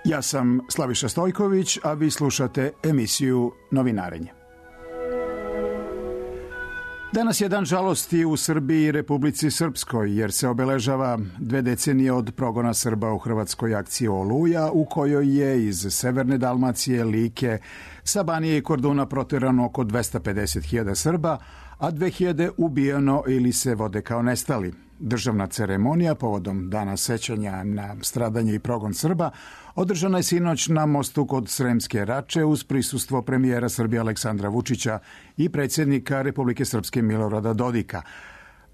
Ja sam Slaviša Stojković, a vi slušate emisiju Novinarenje. Danas je dan žalosti u Srbiji i Republici Srpskoj, jer se obeležava 2 decenije od progona Srba u hrvatskoj akciji Oluja, u kojoj je iz severne Dalmacije, Like, sa Banije i Korduna proterano oko 250.000 Srba, a 2.000 ubijeno ili se vode kao nestali. Državna ceremonija povodom dana sećanja na stradanje i progon Srba održana je sinoć na mostu kod Sremske Rače uz prisustvo premijera Srbije Aleksandra Vučića i predsjednika Republike Srpske Milorada Dodika.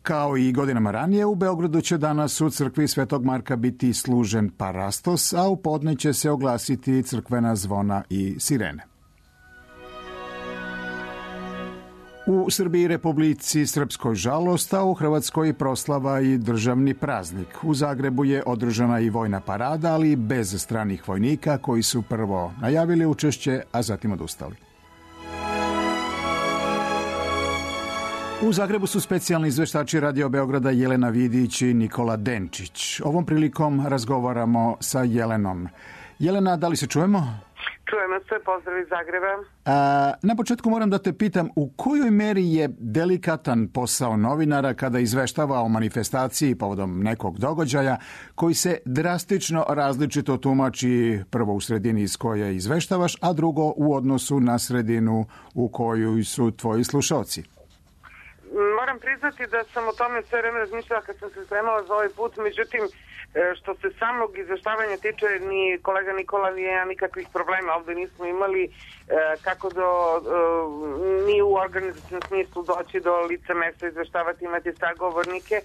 Kao i godinama ranije, u Beogradu će danas u crkvi Svetog Marka biti služen parastos, a u podne će se oglasiti crkvena zvona i sirene. U Srbiji i Republici Srpskoj žalost, a u Hrvatskoj proslava i državni praznik. U Zagrebu je održana i vojna parada, ali bez stranih vojnika koji su prvo najavili učešće, a zatim odustali. U Zagrebu su specijalni izveštači Radio Beograda Jelena Vidić i Nikola Denčić. Ovom prilikom razgovaramo sa Jelenom. Jelena, da li se čujemo? Čujemo se, pozdrav iz Zagreba. Na početku moram da te pitam, u kojoj meri je delikatan posao novinara kada izveštava o manifestaciji povodom nekog događaja koji se drastično različito tumači, prvo u sredini iz koje izveštavaš, a drugo u odnosu na sredinu u kojoj su tvoji slušalci? Moram priznati da sam o tome sve vreme razmišljala kad sam se spremala za ovaj put, međutim, što se samog izveštavanja tiče, ni kolega Nikola ni ja nikakvih problema ovdje nismo imali kako ni u organizacijnom smislu doći do lica mesta, izveštavati, imati sagovornike.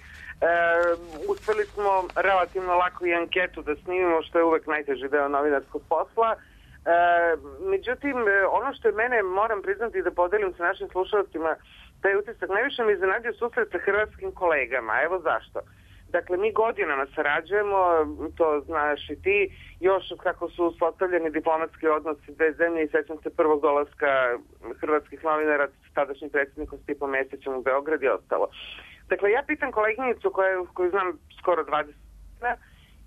Uspeli smo relativno lako i anketu da snimimo, što je uvek najteži deo novinarskog posla. Međutim, ono što je mene, moram priznati da podelim sa našim slušalcima, taj utisak najviše mi iznenadio susret sa hrvatskim kolegama. Evo zašto. Dakle, mi godinama sarađujemo, to znaš i ti, još kako su uspostavljeni diplomatski odnosi dve zemlje i sećam se prvog dolaska hrvatskih novinara s tadašnjim predsjednikom Stipom Mesićem u Beograd i ostalo. Dakle, ja pitam koleginicu koju znam skoro 20 godina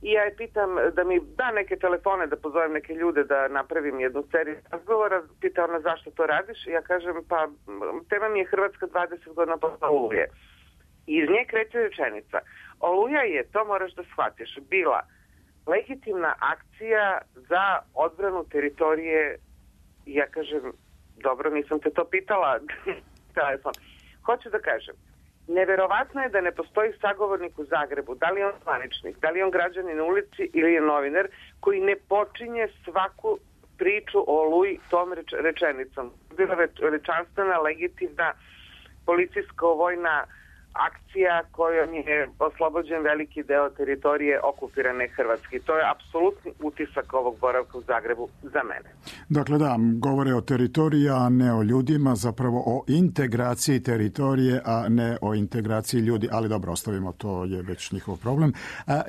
i ja je pitam da mi da neke telefone, da pozovem neke ljude da napravim jednu seriju razgovora. Pita ona zašto to radiš i ja kažem pa tema mi je Hrvatska 20 godina posle Oluje. I iz nje kreće rečenica. Oluja je, to moraš da shvatiš, bila legitimna akcija za odbranu teritorije. Ja kažem, dobro, nisam te to pitala. Telefon. Hoću da kažem, neverovatno je da ne postoji sagovornik u Zagrebu, da li je on zvaničnik, da li je on građanin na ulici ili je novinar, koji ne počinje svaku priču o Oluji tom rečenicom. Bila veličanstvena, legitimna, policijsko-vojna akcija kojom je oslobođen veliki deo teritorije okupirane Hrvatske. To je apsolutni utisak ovog boravka u Zagrebu za mene. Dakle, da, govore o teritoriji, a ne o ljudima, zapravo o integraciji teritorije, a ne o integraciji ljudi, ali dobro, ostavimo, to je već njihov problem.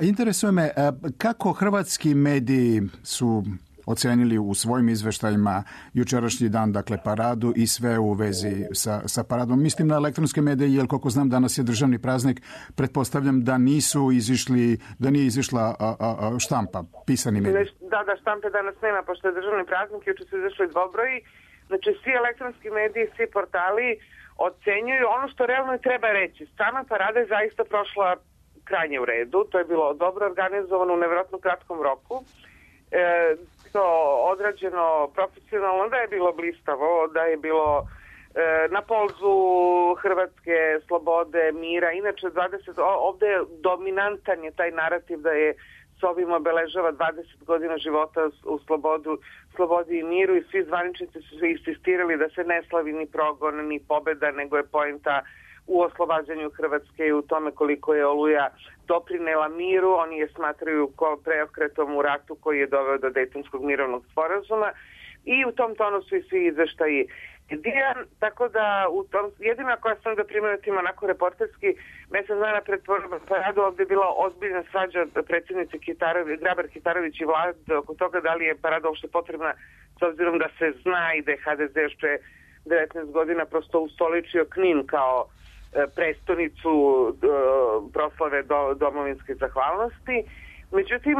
Interesuje me, kako hrvatski mediji su ocenili u svojim izveštajima jučerašnji dan, dakle paradu i sve u vezi sa paradom. Mislim na elektronske medije, jer koliko znam danas je državni praznik, pretpostavljam da nije izišla štampa, pisani mediji. Da, štampe danas nema, pošto je državni praznik, juče su izašli dvobroji. Znači, svi elektronski mediji, svi portali ocenjuju ono što realno i treba reći. Sama parada je zaista prošla krajnje u redu, to je bilo dobro organizovano u nevjerojatno kratkom roku. To odrađeno profesionalno, da je bilo blistavo, da je bilo na polzu Hrvatske slobode, mira. Inače, ovdje je dominantan je taj narativ da je s ovim obeležava 20 godina života u slobodi i miru i svi zvaničnici su insistirali da se ne slavi ni progon, ni pobjeda, nego je poenta u oslobađanju Hrvatske i u tome koliko je Oluja doprinela miru. Oni je smatraju preokretom u ratu koji je doveo do Dejtonskog mirovnog sporazuma i u tom tonu su i svi izveštaji. Tako da jedina koja sam da primetim onako reporterski, mesec dana pred paradu ovdje je bila ozbiljna svađa predsjednice Grabar Kitarović i vlade oko toga da li je parada uopšte potrebna, s obzirom da se zna i da je HDZ još pre 19 godina prosto ustoličio Knin kao prestonicu proslave domovinske zahvalnosti. Međutim,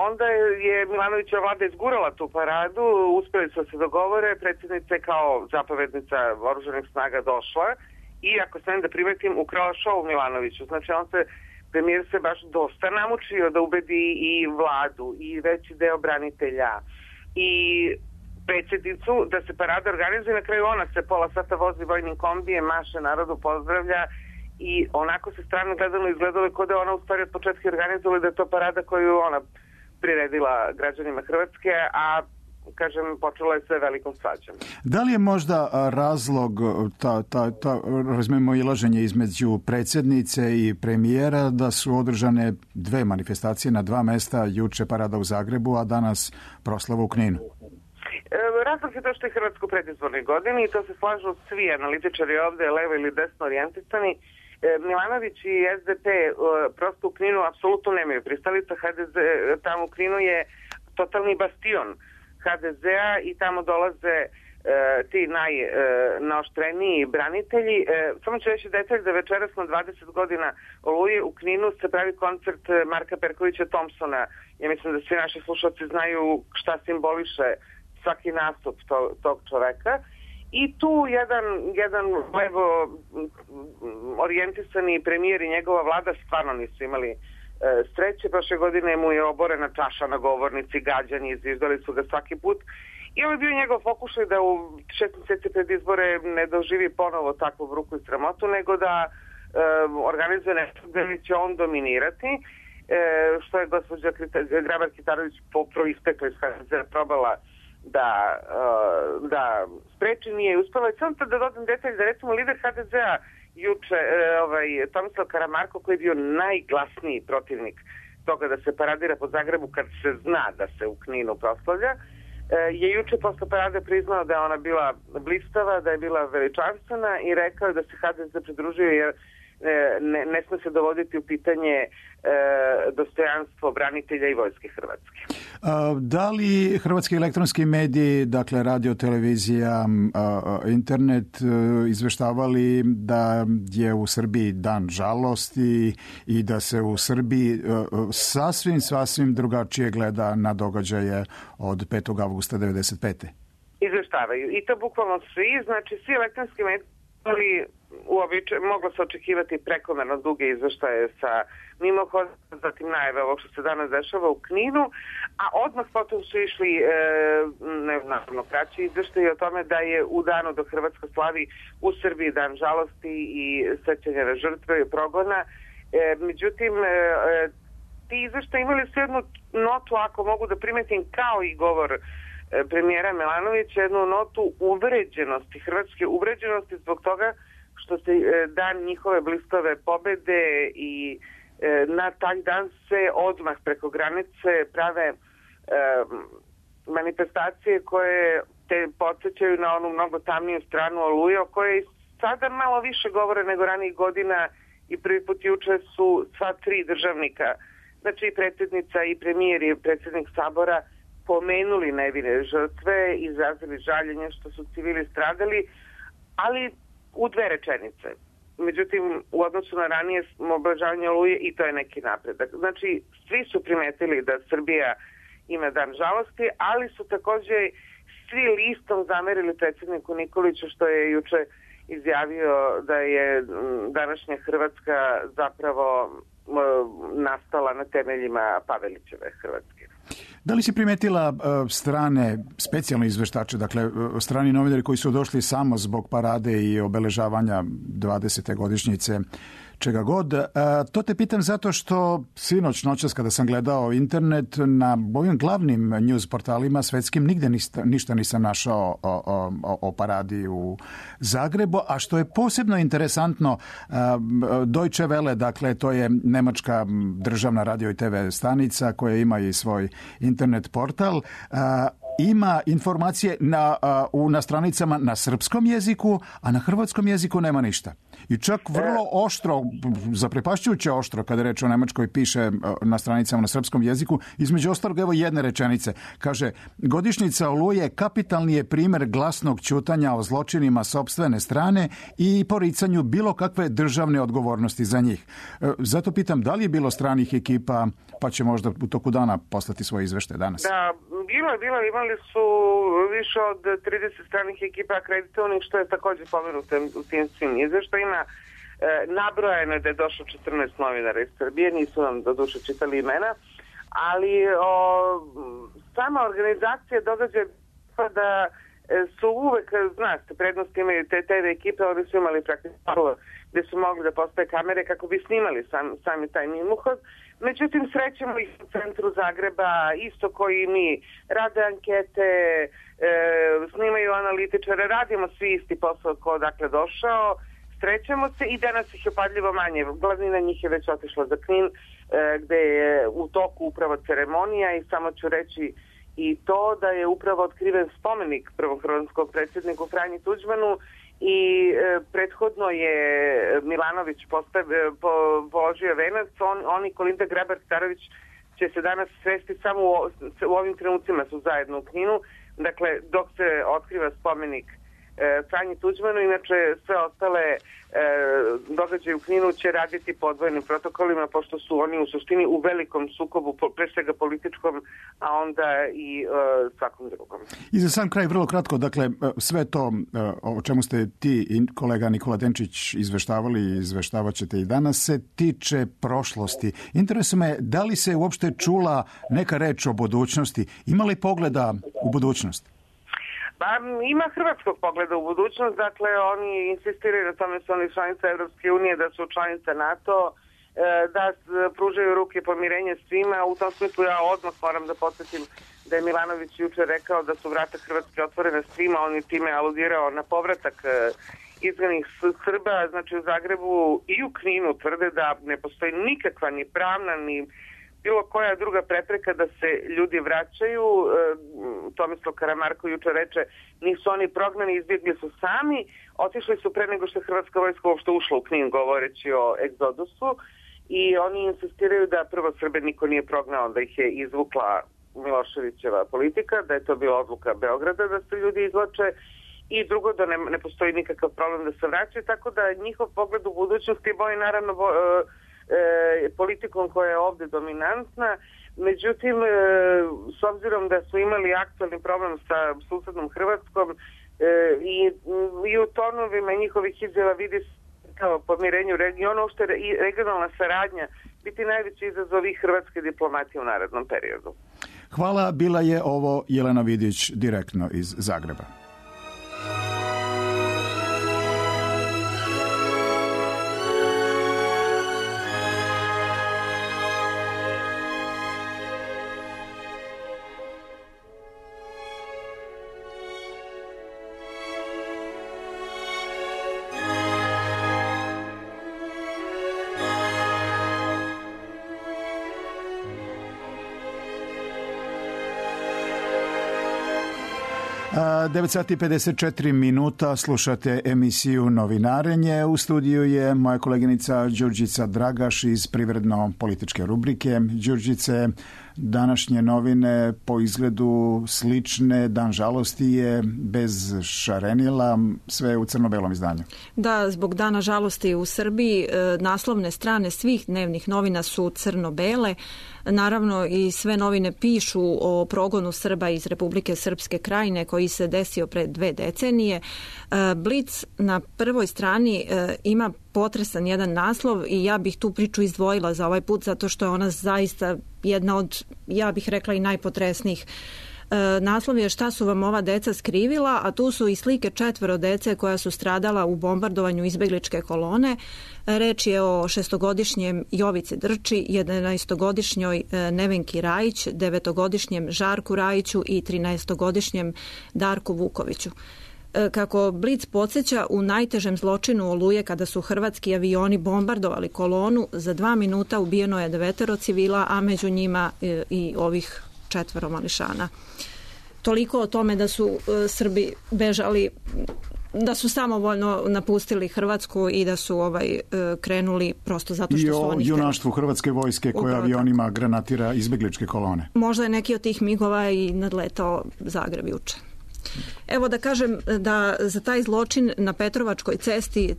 onda je Milanovićeva vlada izgurala tu paradu, uspeli su se dogovore, predsjednica je kao zapovednica oružanih snaga došla i, ako sam da primetim, ukrala šou Milanoviću. Znači, premijer se baš dosta namučio da ubedi i vladu i veći deo branitelja i predsjednicu da se parada organizuje. Na kraju ona se pola sata vozi vojnim kombijem, maše narodu, pozdravlja i onako se strano izgledalo kao da ona u stvari od početka organizovala, da je to parada koju ona priredila građanima Hrvatske, a kažem, počelo je sve velikom svađom. Da li je možda razlog razmimoilaženje između predsjednice i premijera da su održane dve manifestacije na dva mesta, juče parada u Zagrebu, a danas proslava u Kninu? Razlog je to što je Hrvatska u predizbornoj godini i to se slažu svi analitičari ovde, levo ili desno orijentisani. Milanović i SDP prosto u Kninu apsolutno nemaju pristalica. HDZ tamo u Kninu je totalni bastion HDZ-a i tamo dolaze ti najnaoštreniji branitelji. Samo ću reći detalj da večeras na 20 godina Oluje u Kninu se pravi koncert Marka Perkovića Thompsona. Ja mislim da svi naši slušalci znaju šta simboliše svaki nastup tog čoveka. I tu jedan levo orijentisani premijer i njegova vlada stvarno nisu imali sreće. Prošle godine mu je oborena čaša na govornici, gađani, izviždali su ga svaki put. I ovo je bio njegov pokušaj da u 6 mjeseci pred izbore ne doživi ponovo takvu bruku i sramotu, nego da organizuje nešto gdje će on dominirati, što je gospođa Grabar-Kitarović proistekla iz HDZ-a probala da spreči, nije uspela. I samo da dodam detalj da recimo lider HDZ-a juče, Tomislav Karamarko, koji je bio najglasniji protivnik toga da se paradira po Zagrebu kad se zna da se u Kninu proslavlja, je juče posle parade priznao da je ona bila blistava, da je bila veličanstvena i rekao da se HDZ pridružio jer ne sme se dovoditi u pitanje dostojanstvo branitelja i vojske Hrvatske. Da li hrvatski elektronski mediji, dakle radio, televizija, internet, izveštavali da je u Srbiji dan žalosti i da se u Srbiji sasvim drugačije gleda na događaje od 5. avgusta 1995. Izveštavaju. I to bukvalno svi, znači svi elektronski mediji, ali moglo se očekivati prekomerno duge izveštaje sa mimohodom, zatim najave ovog što se danas dešava u Kninu, a odmah potom su išli naravno kraći izveštaje o tome da je u danu dok Hrvatska slavi u Srbiji dan žalosti i sećanja na žrtve i progona. Međutim, ti izveštaje imali su jednu notu, ako mogu da primetim, kao i govor premijera Milanovića, jednu notu uvređenosti, hrvatske uvređenosti zbog toga što se dan njihove blistave pobede i na taj dan se odmah preko granice prave manifestacije koje te podsjećaju na onu mnogo tamniju stranu Oluje, o kojoj sada malo više govore nego ranijih godina i prvi put juče su sva tri državnika, znači i predsjednica i premijer i predsjednik Sabora pomenuli nevine žrtve, izrazili žaljenje što su civili stradali, ali u dve rečenice. Međutim, u odnosu na ranije obeležavanje Oluje i to je neki napredak. Znači, svi su primetili da Srbija ima dan žalosti, ali su također svi listom zamerili predsjedniku Nikoliću što je juče izjavio da je današnja Hrvatska zapravo nastala na temeljima Pavelićeve Hrvatske. Da li si primetila strane specijalne izveštače, dakle strani novinari koji su došli samo zbog parade i obeležavanja 20. godišnjice čega god? To te pitam zato što noćas kada sam gledao internet na ovim glavnim news portalima svetskim nigde ništa nisam našao o paradi u Zagrebu, a što je posebno interesantno, Deutsche Welle, dakle to je nemačka državna radio i TV stanica koja ima i svoj internet portal, ima informacije na stranicama na srpskom jeziku, a na hrvatskom jeziku nema ništa. I čak vrlo oštro, zaprepašćujuće oštro, kada reč o Nemačkoj, piše na stranicama na srpskom jeziku. Između ostalog, evo jedne rečenice. Kaže, godišnjica Oluje kapitalni je primjer glasnog ćutanja o zločinima sopstvene strane i poricanju bilo kakve državne odgovornosti za njih. Zato pitam, da li je bilo stranih ekipa, pa će možda u toku dana poslati svoje izvešte danas? Da, bilo. Imali su više od 30 stranih ekipa akreditovanih, što je također pomenuto u tim svim izveštajima. Nabrojeno je da je došlo 14 novinara iz Srbije, nisu nam do duše čitali imena, ali sama organizacija događaja da su uvek, znate, prednosti imaju te TV ekipe, oni su imali praktično gde su mogli da postave kamere kako bi snimali sami taj mimohod. Međutim, srećemo ih u centru Zagreba, isto koji i mi, rade ankete, snimaju analitičare, radimo svi isti posao ko odakle došao, srećemo se i danas ih je padljivo manje. Glavnina njih je već otišla za Knin, gde je u toku upravo ceremonija i samo ću reći i to da je upravo otkriven spomenik prvom hrvatskom predsjedniku Franji Tuđmanu i prethodno je Milanović položio venac, on i Kolinda Grabar-Kitarović će se danas svesti samo u ovim trenucima su zajedno u Kninu, dakle dok se otkriva spomenik Franji Tuđmanu, inače sve ostale događaje u Kninu će raditi podvojnim protokolima, pošto su oni u suštini u velikom sukobu, pre svega političkom, a onda i svakom drugom. I za sam kraj, vrlo kratko, dakle, sve to o čemu ste ti i kolega Nikola Denčić izveštavali i izveštavat ćete i danas, se tiče prošlosti. Interesuje me, da li se uopšte čula neka reč o budućnosti? Ima li pogleda u budućnost? Pa ima hrvatskog pogleda u budućnost, dakle oni insistiraju na tome su oni članice Evropske unije, da su članice NATO, da pružaju ruke pomirenja svima. U tom smislu ja odmah moram da podsjetim da je Milanović jučer rekao da su vrata Hrvatske otvorene svima, on je time aludirao na povratak izgnanih Srba, znači u Zagrebu i u Kninu tvrde da ne postoji nikakva ni pravna ni bilo koja druga prepreka da se ljudi vraćaju. Tomislav Karamarko jučer reče, nisu oni prognani, izbjegli su sami, otišli su pre nego što je Hrvatska vojska uopšte ušla u Knin, govoreći o egzodusu, i oni insistiraju da prvo Srbe niko nije prognao, da ih je izvukla Miloševićeva politika, da je to bila odluka Beograda da se ljudi izvlače, i drugo da ne postoji nikakav problem da se vraćaju, tako da njihov pogled u budućnosti boji naravno politikom koja je ovdje dominantna. Međutim, s obzirom da su imali aktualni problem sa susednom Hrvatskom i u tonovima njihovih izjava vidi kao pomirenju regiona, uopšte i regionalna saradnja biti najveći izazov i hrvatske diplomatije u narednom periodu. Hvala, bila je ovo Jelena Vidić direktno iz Zagreba. A 9:54 slušate emisiju Novinarenje. U studiju je moja koleginica Đurđica Dragaš iz privredno-političke rubrike. Đurđice, današnje novine po izgledu slične, dan žalosti je bez šarenila, sve u crno-belom izdanju. Da, zbog dana žalosti u Srbiji naslovne strane svih dnevnih novina su crno-bele. Naravno i sve novine pišu o progonu Srba iz Republike Srpske Krajine koji se desio pre 2 decenije. Blic na prvoj strani ima potresan jedan naslov i ja bih tu priču izdvojila za ovaj put zato što je ona zaista jedna od, ja bih rekla, i najpotresnijih. Naslov je Šta su vam ova deca skrivila, a tu su i slike 4 dece koja su stradala u bombardovanju izbegličke kolone. Reč je o 6-godišnjem Jovici Drči, 11-godišnjoj Nevenki Rajić, 9-godišnjem Žarku Rajiću i 13-godišnjem Darku Vukoviću. Kako Blic podsjeća, u najtežem zločinu Oluje, kada su hrvatski avioni bombardovali kolonu, za 2 minuta ubijeno je 9 civila, a među njima i ovih 4 mališana. Toliko o tome da su Srbi bežali, da su samovoljno napustili Hrvatsku i da su krenuli prosto zato što su oni htjeli. I o junaštvu Hrvatske vojske koja avionima granatira izbegličke kolone. Možda je neki od tih migova i nadletao Zagreb juče. Evo da kažem da za taj zločin na Petrovačkoj cesti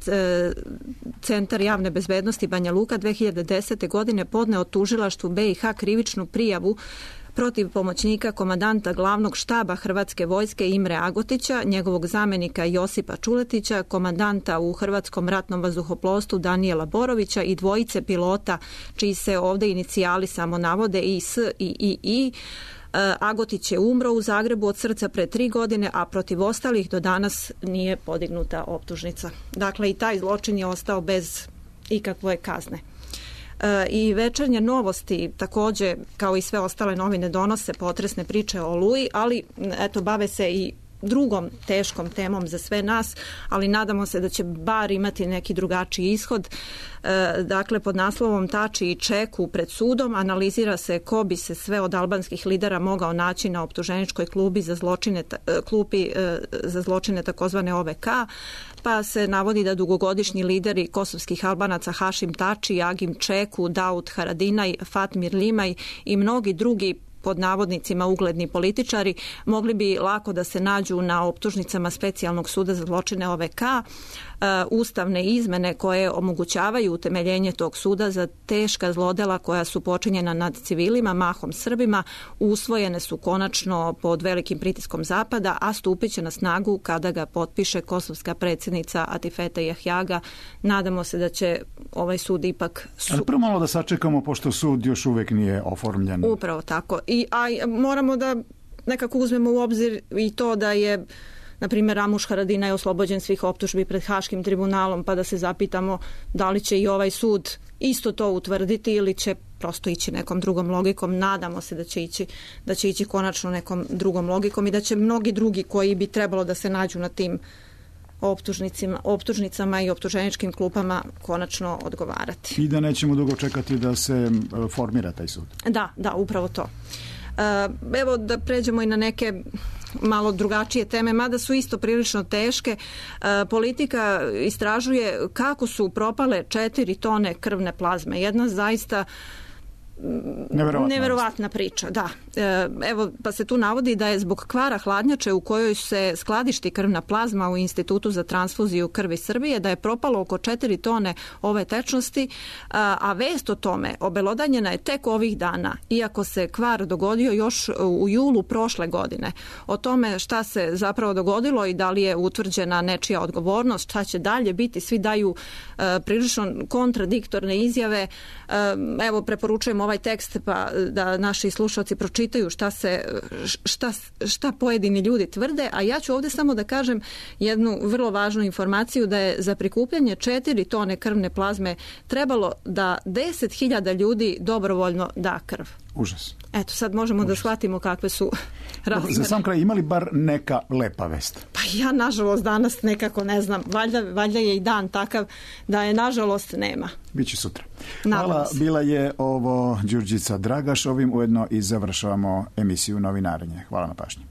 Centar javne bezbednosti Banja Luka 2010. godine podneo tužilaštvu BiH krivičnu prijavu protiv pomoćnika komandanta glavnog štaba Hrvatske vojske Imre Agotića, njegovog zamenika Josipa Čuletića, komandanta u Hrvatskom ratnom vazduhoplovstvu Danijela Borovića i dvojice pilota čiji se ovdje inicijali samo navode IS i II. Agotić je umro u Zagrebu od srca pre 3 godine, a protiv ostalih do danas nije podignuta optužnica. Dakle, i taj zločin je ostao bez ikakve kazne. I Večernje novosti također, kao i sve ostale novine, donose potresne priče o Oluji, ali eto, bave se i drugom teškom temom za sve nas, ali nadamo se da će bar imati neki drugačiji ishod. Dakle, pod naslovom Tači i Čeku pred sudom analizira se ko bi se sve od albanskih lidera mogao naći na optuženičkoj klupi za zločine takozvane OVK, pa se navodi da dugogodišnji lideri kosovskih Albanaca Hašim Tači, Agim Čeku, Daud Haradinaj, Fatmir Limaj i mnogi drugi pod navodnicima ugledni političari mogli bi lako da se nađu na optužnicama Specijalnog suda za zločine OVK. Ustavne izmene koje omogućavaju utemeljenje tog suda za teška zlodela koja su počinjena nad civilima, mahom Srbima, usvojene su konačno pod velikim pritiskom Zapada, a stupit će na snagu kada ga potpiše kosovska predsjednica Atifete Jahjaga. Nadamo se da će ovaj sud ipak... Ali prvo malo da sačekamo, pošto sud još uvijek nije oformljen. Upravo tako. A moramo da nekako uzmemo u obzir i to da je, na primjer, Ramuš Haradinaj oslobođen svih optužbi pred Haškim tribunalom, pa da se zapitamo da li će i ovaj sud isto to utvrditi ili će prosto ići nekom drugom logikom. Nadamo se da će ići konačno nekom drugom logikom i da će mnogi drugi koji bi trebalo da se nađu na tim optužnicama i optuženičkim klupama konačno odgovarati. I da nećemo dugo čekati da se formira taj sud. Da, upravo to. Evo da pređemo i na neke malo drugačije teme, mada su isto prilično teške. Politika istražuje kako su propale 4 tone krvne plazme. Jedna zaista neverovatna priča, da. Evo, pa se tu navodi da je zbog kvara hladnjače u kojoj se skladišti krvna plazma u Institutu za transfuziju krvi Srbije, da je propalo oko 4 tone ove tečnosti, a vest o tome obelodanjena je tek ovih dana, iako se kvar dogodio još u julu prošle godine. O tome šta se zapravo dogodilo i da li je utvrđena nečija odgovornost, šta će dalje biti, svi daju prilično kontradiktorne izjave. Evo, preporučujem ovaj tekst pa da naši slušalci pročitaju šta pojedini ljudi tvrde, a ja ću ovdje samo da kažem jednu vrlo važnu informaciju, da je za prikupljanje 4 tone krvne plazme trebalo da 10.000 ljudi dobrovoljno da krv. Užas. Eto, sad možemo da shvatimo kakve su razmere. Za sam kraj, imali bar neka lepa vest? Pa ja, nažalost, danas nekako ne znam. Valjda je i dan takav da je, nažalost, nema. Biće sutra. Hvala, bila je ovo Đurđica Dragaš. Ovim ujedno i završavamo emisiju Novinarenje. Hvala na pažnji.